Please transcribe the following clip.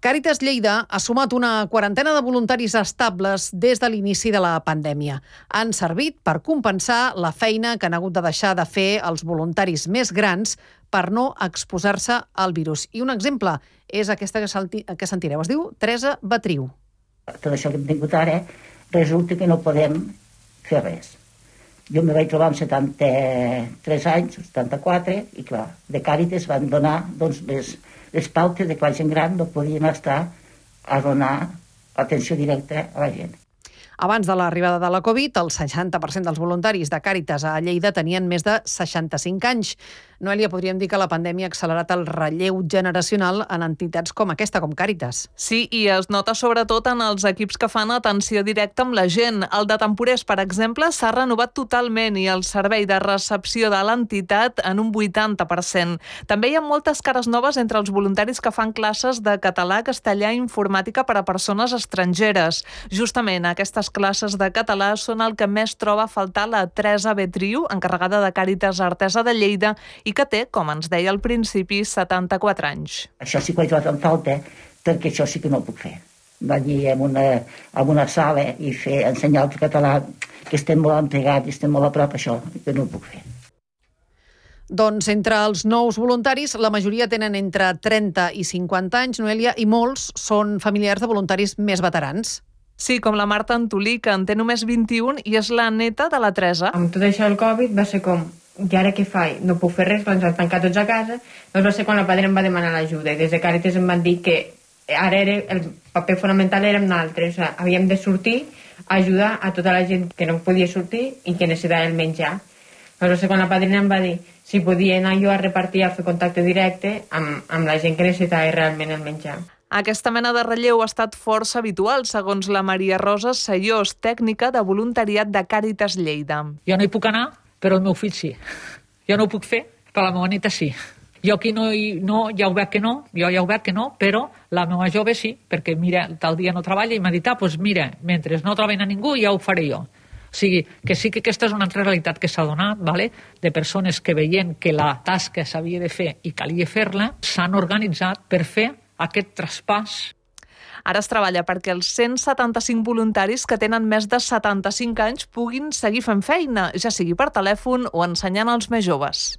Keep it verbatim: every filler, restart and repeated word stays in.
Càritas Lleida ha sumat una quarantena de voluntaris estables des de l'inici de la pandèmia. Han servit per compensar la feina que han hagut de deixar de fer els voluntaris més grans per no exposar-se al virus. I un exemple és aquesta que, salti, que sentireu. Es diu Teresa Batriu. Tot això que hem tingut ara, resulta que no podem fer res. Jo me vaig trobar amb setanta-tres anys, setanta-quatre, i clar, de Càritas van donar doncs, les, les pautes de que la gent gran no podien estar a donar atenció directa a la gent. Abans de l'arribada de la Covid, el seixanta per cent dels voluntaris de Càritas a Lleida tenien més de seixanta-cinc anys. Noelia, podríem dir que la pandèmia ha accelerat el relleu generacional en entitats com aquesta, com Càritas. Sí, i es nota sobretot en els equips que fan atenció directa amb la gent. El de Temporers, per exemple, s'ha renovat totalment i el servei de recepció de l'entitat en un vuitanta per cent. També hi ha moltes cares noves entre els voluntaris que fan classes de català, castellà i informàtica per a persones estrangeres. Justament aquestes classes de català són el que més troba a faltar la Teresa Batriu, encarregada de Càritas Artesa de Lleida, i que té, com ens deia al principi, setanta-quatre anys. Això sí que ho he trobat en falta, perquè això sí que no ho puc fer. Venir en una, en una sala i fer, ensenyar el català, que estem molt entregats i estem molt a prop, això que no ho puc fer. Doncs entre els nous voluntaris, la majoria tenen entre trenta i cinquanta anys, Noelia, i molts són familiars de voluntaris més veterans. Sí, com la Marta Antolí, que en té només vint-i-un i és la neta de la Teresa. Amb tot això del Covid va ser com, i ara què faig? No puc fer res, ens han tancat tots a casa. Doncs va ser quan la padre em va demanar l'ajuda i des de Càritas em van dir que ara era, el paper fonamental érem nosaltres, o sigui, havíem de sortir a ajudar a tota la gent que no podia sortir i que necessitava el menjar. Doncs va ser quan la padrina em va dir si podia anar jo a repartir, a fer contacte directe amb, amb la gent que necessitava realment el menjar. Aquesta mena de relleu ha estat força habitual, segons la Maria Rosa Sayós, tècnica de voluntariat de Càritas Lleida. Jo no hi puc anar, però el meu fill sí. Jo no ho puc fer, però la meva neta sí. Jo aquí no, no, ja ho veig que no, jo ja ho veig que no, però la meva jove sí, perquè mira, tal dia no treballa i m'ha dit, ah, doncs mira, mentre no troben a ningú ja ho faré jo. O sigui, que sí que aquesta és una altra realitat que s'ha donat, vale? De persones que veient que la tasca s'havia de fer i calia fer-la, s'han organitzat per fer aquest traspàs. Ara es treballa perquè els cent setanta-cinc voluntaris que tenen més de setanta-cinc anys puguin seguir fent feina, ja sigui per telèfon o ensenyant als més joves.